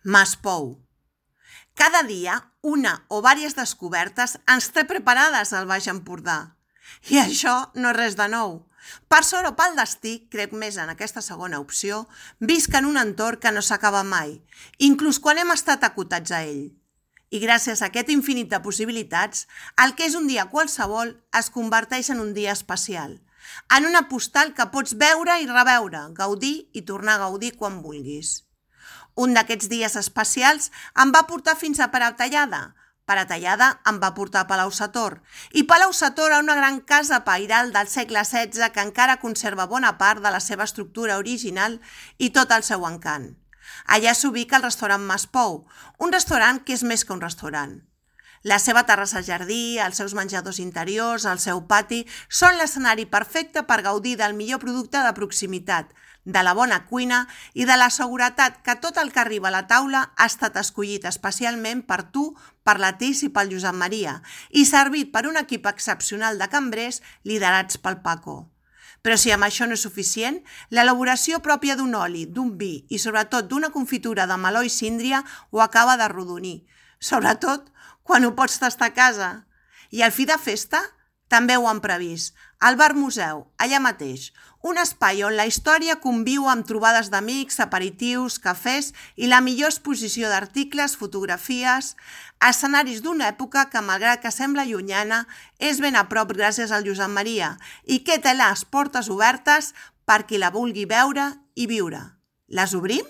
Maspou. Cada dia, una o diverses descobertes ens té preparades al Baix Empordà. I això no és res de nou. Per sort o pel destí, crec més en aquesta segona opció, visc en un entorn que no s'acaba mai, inclús quan hem estat acotats a ell. I gràcies a aquest infinit de possibilitats, el que és un dia qualsevol es converteix en un dia especial, en una postal que pots veure i reveure, gaudir i tornar a gaudir quan vulguis. Un d'aquests dies especials em va portar fins a Paratallada. Paratallada em va portar a Palau-sator. I Palau-sator a una gran casa pairal del segle XVI que encara conserva bona part de la seva estructura original i tot el seu encant. Allà s'ubica el restaurant Maspou, un restaurant que és més que un restaurant. La seva terrassa-jardí, els seus menjadors interiors, el seu pati, són l'escenari perfecte per gaudir del millor producte de proximitat, de la bona cuina i de la seguretat que tot el que arriba a la taula ha estat escollit especialment per tu, per la Tis i pel Josep Maria i servit per un equip excepcional de cambrers liderats pel Paco. Però si amb això no és suficient, l'elaboració pròpia d'un oli, d'un vi i sobretot d'una confitura de meló i síndria ho acaba de rodonir, sobretot quan ho pots tastar a casa. I al fi de festa també ho han previst, al Bar Museu, allà mateix, un espai on la història conviu amb trobades d'amics, aperitius, cafès i la millor exposició d'articles, fotografies, escenaris d'una època que, malgrat que sembla llunyana, és ben a prop gràcies al Josep Maria i que té les portes obertes per qui la vulgui veure i viure. Les obrim?